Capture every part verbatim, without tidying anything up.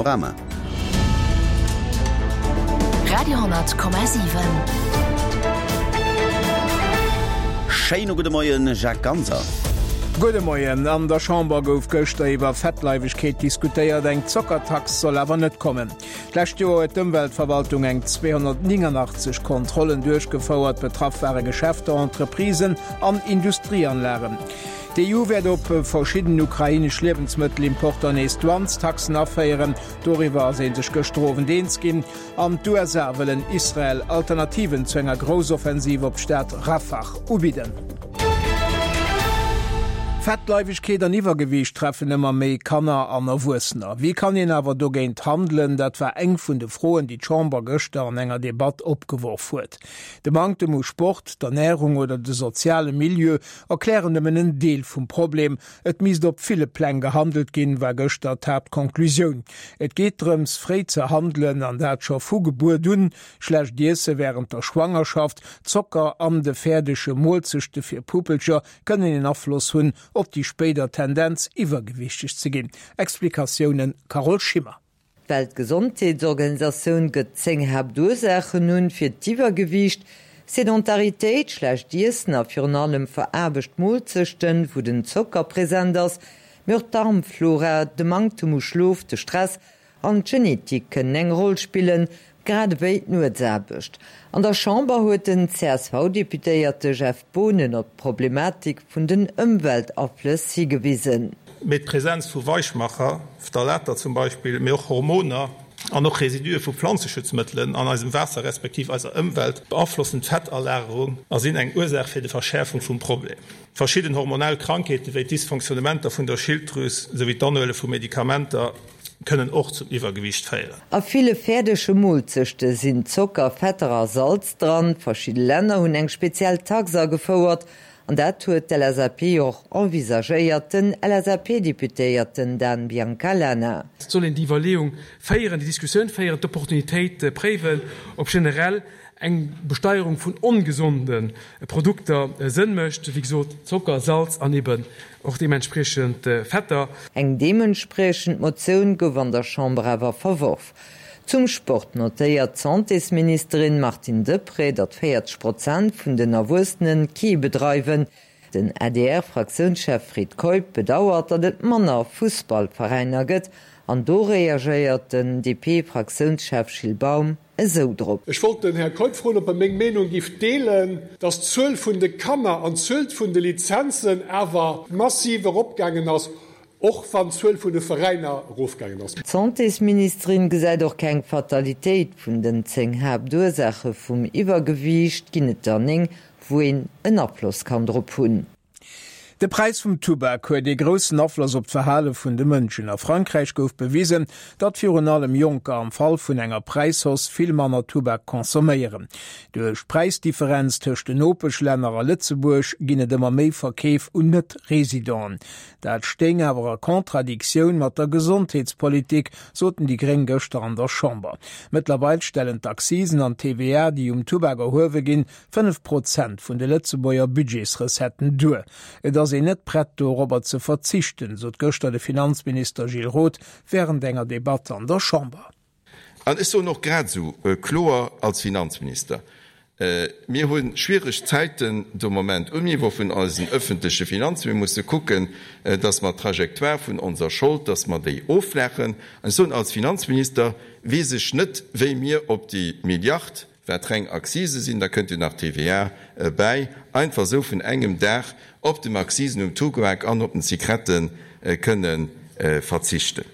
Panorama. Radio hundert Komma siwen. Schéine gudde Moien, Jacques Ganser. Gudde Moien. An der Chamber gouf gëschter iwwer Fettleiwegkeet diskutéiert. Eng Zockertax soll awer net kommen. D'lescht Joer huet d'Ëmweltverwaltung eng zweehonnertnénganachtzeg Kontrollen duerchgefouert. Betraff ware Geschäfter, Entreprisen an Industrieanlagen. D'E U wäert op verschidden ukrainesch Liewensmëttelimporter nees Douanestaxen aféieren. Doriwwer ass ee sech gëschter Owend eens ginn. An d'U S A wëllen Israel Alternativen zu enger Groussoffensiv op d'Stad Rafah ubidden. Fettleiwegkeet an Iwwergewiicht treffen ëmmer méi Kanner an Erwuessener. Wéi kann een awer dogéint handelen? Dat war eng vun de Froen, déi d'Chamber gëschter an enger Debatt opgeworf huet. De Manktem u Sport, d'Ernärung oder de soziale Milieu erklären nëmmen en Deel vum Problem. Et misst op ville Pläng gehandelt ginn, war gëschter d'Haaptkonklusioun. Et geet drëms, fréi ze handelen an dat scho vu Gebuert un. Schlecht Iesse wärend der Schwangerschaft, Zocker an de fäerdege Moolzechte fir Puppelcher kënnen en Afloss hunn op déi spéider Tendenz iwwergewichteg ze ginn. Explikatiounen Carole Schimmer. D'Weltgesondheetsorganisatioun gëtt zéng Haaptursaachen un fir d'Iwwergewiicht: Sedentaritéit, schlecht Iessen a virun allem veraarbecht Moolzechten, wou den Zocker present ass, mee och d'Darmflora, de Manktem u Schlof, de Stress an d'Genetik kënnen eng Roll spillen, grad ewéi d'Nuetsaarbecht. An der Chamber huet den C S V-Deputéierte Jeff Boonen op d'Problematik vun den Ëmweltaflëss higewisen. Mee d'Presenz vu Weichmacher, Phtalater zum Beispill, mee och Hormoner an och Residue vu Planzeschutzmëttelen an eisem Waasser respektiv eiser Ëmwelt beaflossen d'Fettalagerung a sinn eng Ursaach fir de Verschäerfung vum Problem. Verschidden hormonell Krankheete wéi d'Dysfonctionnementer vun der Schilddrüs souwéi d'Anhuele vu Medikamenter kënnen och zum Iwwergewiicht féieren. A ville fäerdege Moolzechte sinn Zocker, Fetter a Salz dran. Verschidde Länner hunn eng speziell Tax agefouert an dat huet d'L S A P och envisagéiert, den L S A P-Deputéierten Dan Biancalana. Et soll een déi Iwwerleeung féieren, déi Diskussioun féieren, d'Opportunitéit préiwen, ob generell eng Besteierung vun ongesonde Produkter Sënn mécht, wéi gesot Zocker, Salz an eben och deementspriechend Fetter. Eng deementspriechend Motioun gouf an der Chamber awer verworf. Zum Sport notéiert d'Santésministerin Martine Deprez, datt véierzeg Prozent vun den Erwuessene kee bedreiwen. Den A D R-Fraktiounschef Fred Keup bedauert, datt et manner Fussballveräiner gëtt, an do reagéiert den D P-Fraktiounschef Gilles Baum esou drop. Ech wollt den Här Keup froen, ob e meng Meenung giff deelen, datt d'Zuel vun de Kanner an d'Zuel vun de Lizenzen awer massiv eropgaangen ass, och wann d'Zuel vun de Veräiner erofgaangen ass. D'Santésministerin gesäit och keng Fatalitéit. Vun den zéng Haaptursaache vum Iwwergewiicht ginn et der néng, wou een en Afloss kann drop hunn. De Präis vum Tubak huet ee groussen Afloss op d'Verhale vun de Mënschen. A Frankräich gouf bewisen, datt virun allem Jonker am Fall vun enger Präishausse vill manner Tubak consomméieren. Duerch d'Präisdifferenz tëscht den Nopeschlänner a Lëtzebuerg ginn et ëmmer méi Verkeef un Net-Residenten. Dat stéing awer a Kontradiktioun mat der Gesondheetspolitik, soten déi Gréng gëschter an der Chamber. Mëttlerweil stellen d'Accisen an d'T V A, déi um Tubak erhuewe ginn, fënnef Prozent vun de Lëtzebuerger Budgetsrecetten duer. Et ass een net prett dorobber ze verzichten, sot gëschter de Finanzminister Gilles Roth wärend enger Debatt an der Chamber. An ech soen och grad esou kloer als Finanzminister, Mir hu schwiereg Zäiten de Moment um Niveau vun eisen ëffentleche Finanzen. Mir musse kucken, datt mer d'Trajectoire vun onser Schold, datt mer déi offlaachen. An ech soen, als Finanzminister weess ech net, wéi mir op déi Milliard, wat reng Accise sinn, da kënnt jo nach T V A bäi, einfach esou vun engem Dag op den Accisen um Tubak an op den Zigrette kënne verzichten.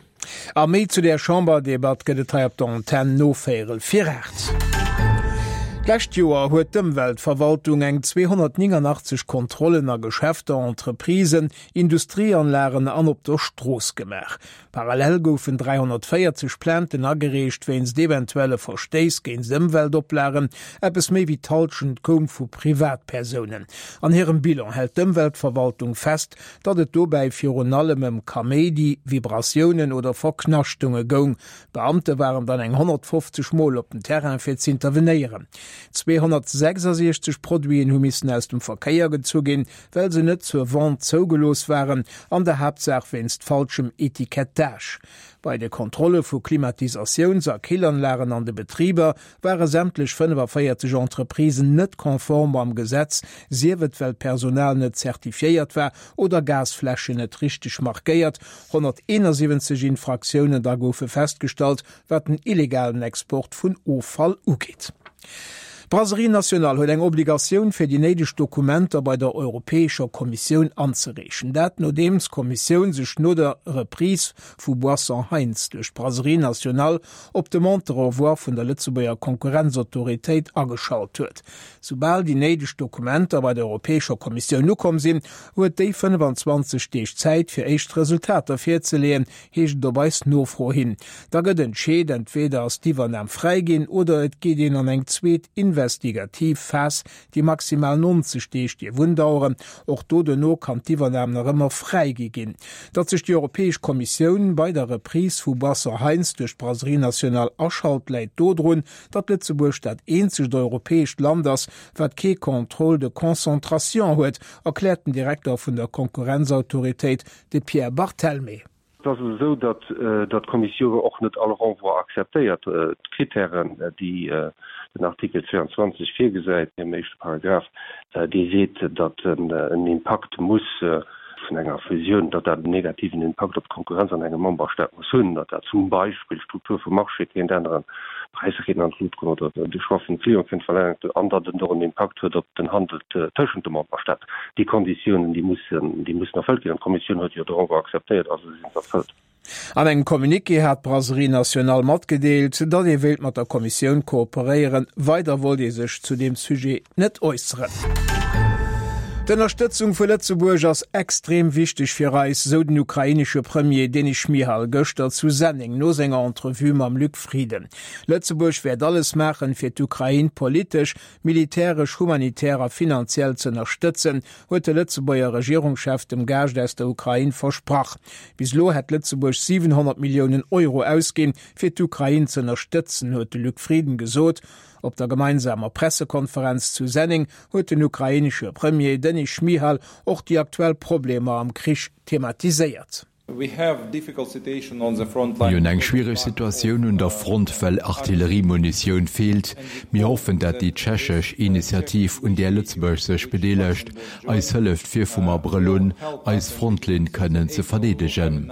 A méi zu der Chamberdebatt gëtt et hei op der Antenn no véierel vir aacht. D'lescht Joer huet d'Ëmweltverwaltung eng zweehonnertnénganachtzeg Kontrollen a Geschäfter, Entreprisen, Industrieanlagen an op der Strooss gemaach. Parallel goufen dräihonnertvéierzeg Plainten agereecht wéinst eventuelle Verstéiss géint Ëmweltoplagen, eppes méi wéi d'Hallschent koum vu Privatpersounen. An hirem Bilan hält d'Ëmweltverwaltung fest, datt et dobäi virun allem ëm Kaméidi, Vibratiounen oder Verknaschtunge goung. Beamte waren dann eng honnertfofzeg Mol op den Terrain fir z'intervenéieren. Zweehonnertsechsasiechzeg Produiten hu missen aus dem Verkéier gezu ginn, well se net zur Vente zougelooss waren, an der Haaptsaach wéinst falschem Etikettage. Bei de Kontrolle vu Klimatisatiouns a Killanlagen an de Betriber ware sämtlech fënnefavéierzeg Entreprisen net konform mam Gesetz, sief et well d'Personal net zertifiéiert war oder Gasfläschen net richteg markéiert. honnerteenasiwwenzeg Infraktiounen da goufe festgestallt, wat den illegalen Export vun Offall ugeet. D'Brasserie Nationale huet eng Obligatioun fir déi néideg Dokumenter bei der Europäescher Kommissioun anzereechen. Dat nodeems d'Kommissioun sech no der Reprise vu Boissons Heintz duerch d'Brasserie Nationale op Demande de renvoi vun der Lëtzebuerger Konkurrenzautoritéit ageschalt huet. Soubal déi néideg Dokumenter bei der Europäescher Kommissioun ukomm sinn, huet déi fënnefanzwanzeg Deeg Zäit fir éischt Resultater virzeleeën, heescht et op eis Nofro hin. Da gëtt entscheet, entweder ass d'Iwwernam fräiginn oder et geet een an eng zweet investigativ Phas, déi maximal nonzeg Deeg dierf undaueren. Och do duerno kann d'Iwwernam nach ëmmer fräigi ginn. Datt sech déi Europäesch Kommissioun bei der Reprise vu Boissons Heintz duerch d'Brasserie Nationale aschalt, läit dodrun, datt Lëtzebuerg dat eenzegt europäescht Land ass, wat kee Contrôle de concentration huet, erkläert den Direkter vun der Konkurrenzautoritéit, de Pierre Barthelmé. Et ass esou, datt d'Kommissioun och net all Renvoi akzeptéiert. D'Kritären, déi den Artikel zweiundzwanzeg virgesäit, am éischte Paragraph, dee seet, datt en Impakt muss vun enger Fusioun, datt dat en negativen Impakt op d'Konkurrenz an engem Memberstaat muss hunn, datt dat zum Beispill d'Struktur vum Marché kéint änneren, d'Präisser kéinten an d'Lut goen oder de Choix vum Client kéint verlaangt an datt et och en Impakt huet op den Handel tëschent de Memberstaaten. Déi Konditiounen, déi mussen, déi mussen erfëllt ginn an d'Kommissioun huet jo de Renvoi akzeptéiert, also si se erfëllt. An engem Communiqué hat d'Brasserie Nationale matgedeelt, datt ee wéilt mat der Kommissioun kooperéieren. Weider wollt ee sech zu deem Sujet net äusseren. D'Ënnerstëtzung vu Lëtzebuerg ass extrem wichteg fir eis, sou den ukrainesche Premier Denis Schmyhal gëschter zu Senneng no senger Entrevue mam Luc Frieden. Lëtzebuerg wäert alles maachen, fir d'Ukrain politesch, militäresch, humanitär a finanziell z'ënnerstëtzen, huet de Lëtzebuerger Regierungschef dem Gaascht aus der Ukrain versprach. Bis elo hätt Lëtzebuerg siwenhonnert Milliounen Euro ausginn, fir d'Ukrain z'ënnerstëtzen, huet de Luc Frieden gesot. Op der gemeinsamer Pressekonferenz zu Senneng huet den ukrainesche Premier Denis Schmyhal och déi aktuell Problemer am Krich thematiséiert. Mir hunn eng schwiereg Situatioun un der Front, well Artilleriemunitioun feelt. Mir hoffen, dat déi tschechesch Initiativ, un där Lëtzebuerg sech bedeelegt, eis hëlleft, fir vum Abrëll un eis Frontlinn kënnen ze verdeedegen.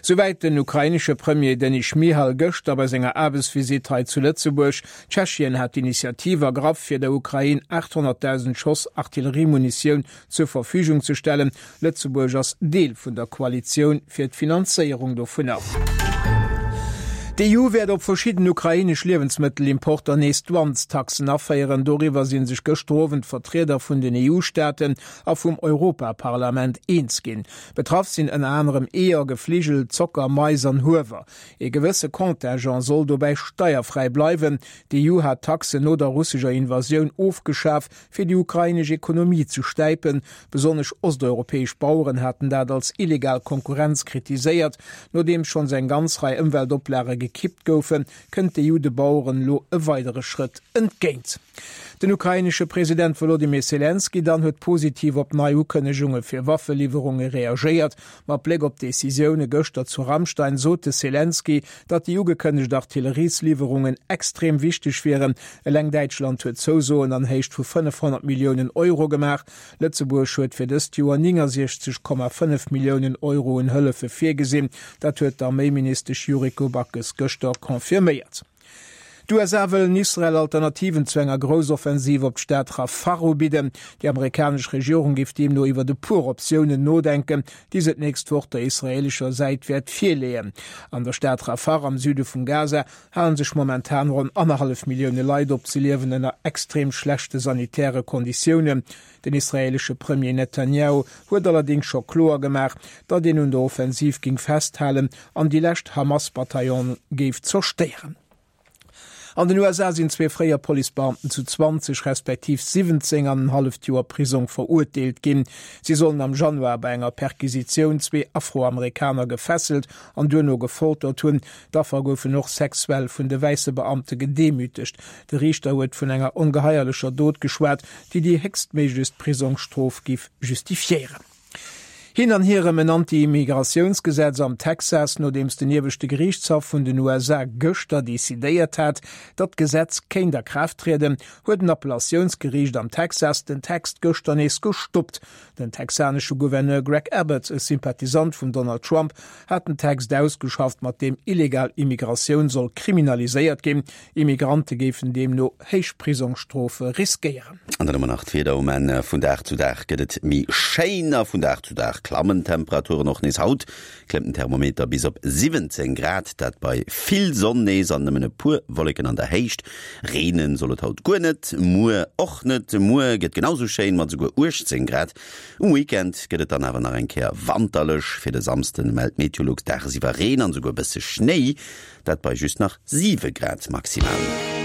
Souwäit den ukrainesche Premier Denis Schmyhal gëschter bei senger Aarbechtsvisitt hei zu Lëtzebuerg. Tschechien hat d'Initiativ ergraff, fir der Ukrain achthonnertdausend Schoss Artilleriemunitioun zur Verfügung ze stellen. Lëtzebuerg ass Deel vun der Koalitioun fir d'Finanzéierung dovunner. D'EU wäert op verschidden ukrainesch Liewensmëttelimporter nees Douanestaxen aféieren. Doriwwer si sech gëschter Owend d'Vertrieder vun den E U-Staaten a vum Europaparlament eens ginn. Betraff sinn ënner anerem Eeër, Gefligel, Zocker, Mais an Huewer. Ee gewësse Contingent soll dobäi steierfräi bleiwen. D'E U hat d'Taxen no der russescher Invasioun ofgeschaf, fir déi ukrainesch Ekonomie ze stäipen. Besonnesch osteuropäesch Baueren haten dat als illegal Konkurrenz kritiséiert. Nodeems schonns eng ganz Rei Ëmweltoplage gekippt goufen, kënnt d'E U de Baueren elo e weidere Schrëtt entgéint. Den ukrainesche President Wolodymyr Selenskyj dann huet positiv op nei Ukënnegunge fir Waffeliwwerunge reagéiert. Mat Bléck op d'Decisioune gëschter zu Ramstein sot de Selenskyj, datt déi ugekënnegt Artilleriesliwwerungen extrem wichteg wieren. Eleng Däitschland huet Zousoen an Héicht vu fënnefhonnert Milliounen Euro gemaach. Lëtzebuerg huet fir dëst Joer néngasiechzeg Komma fënnef Milliounen Euro un Hëllefe virgesinn. Dat huet d'Arméiministesch Yuriko Backes gëschter confirméiert. D'U S A wëllen Israel Alternativen zu enger Groussoffensiv op d'Stad Rafah ubidden. Déi amerikanesch Regierung géif deemno iwwert e puer Optiounen nodenken, déi se d'nächst Woch der israeelescher Säit wäert virleeën. An der Stad Rafah am Süde vum Gaza hale sech momentan ronn annerhallef Millioune Leit op. Se liewen ënner extrem schlechte sanitäre Konditiounen. Den israeelesche Premier Netanjahu huet allerdéngs scho kloer gemaach, datt een un der Offensiv géing festhalen an déi lescht Hamas-Bataillone géif zerstéieren. An den U S A sinn zwee fréier Policebeamten zu zwanzeg respektiv siwwenzéng an en halleft Joer Prisong verurteelt ginn. Si sollen am Januar bei enger Perquisitioun zwee Afroamerikaner gefesselt an duerno gefoltert hunn. D'Affer goufen och sexuell vun de wäisse Beamte gedemütegt. De Riichter huet vun enger ongeheierlecher Dot geschwat, déi déi héchstméiglechst Prisongsstrof giff justifiéieren. Hin an hier ëm en Anti-Immigratiounsgesetz am Texas, Nodeems den ieweschte Geriichtshaff vun den U S A gëschter decidéiert hat, datt d'Gesetz kéint a Kraaft trieden, huet en Appellatiounsgeriicht am Texas den Text gëschter nees gestoppt. Den texanesche Gouverneur Greg Abbott, e Sympathisant vum Donald Trump, hat den Text ausgeschafft, mat deem illegal Immigratioun soll kriminaliséiert ginn. Immigrante géifen deemno héich Prisongsstrofe riskéieren. An dann hu mer nach d'Wieder um Enn. Vun Dag zu Dag gëtt et méi schéin a vun Dag zu Dag klammen d'Temperaturen och nees. Haut klëmmt den Thermometer bis op siwwenzéng Grad, dat bei vill Sonn nees an nëmmen e puer Wolleken an der Héicht. Reenen soll et haut guer net, muer och net. Muer gëtt genau sou schéin mat esouguer uechtzéng Grad. Um Weekend gëtt et dann awer nach eng Kéier wanterlech. Fir de Samsden mellt Meteolux dagsiwwer Reen an esouguer bësse Schnéi, dat bei just nach siwe Grad maximal.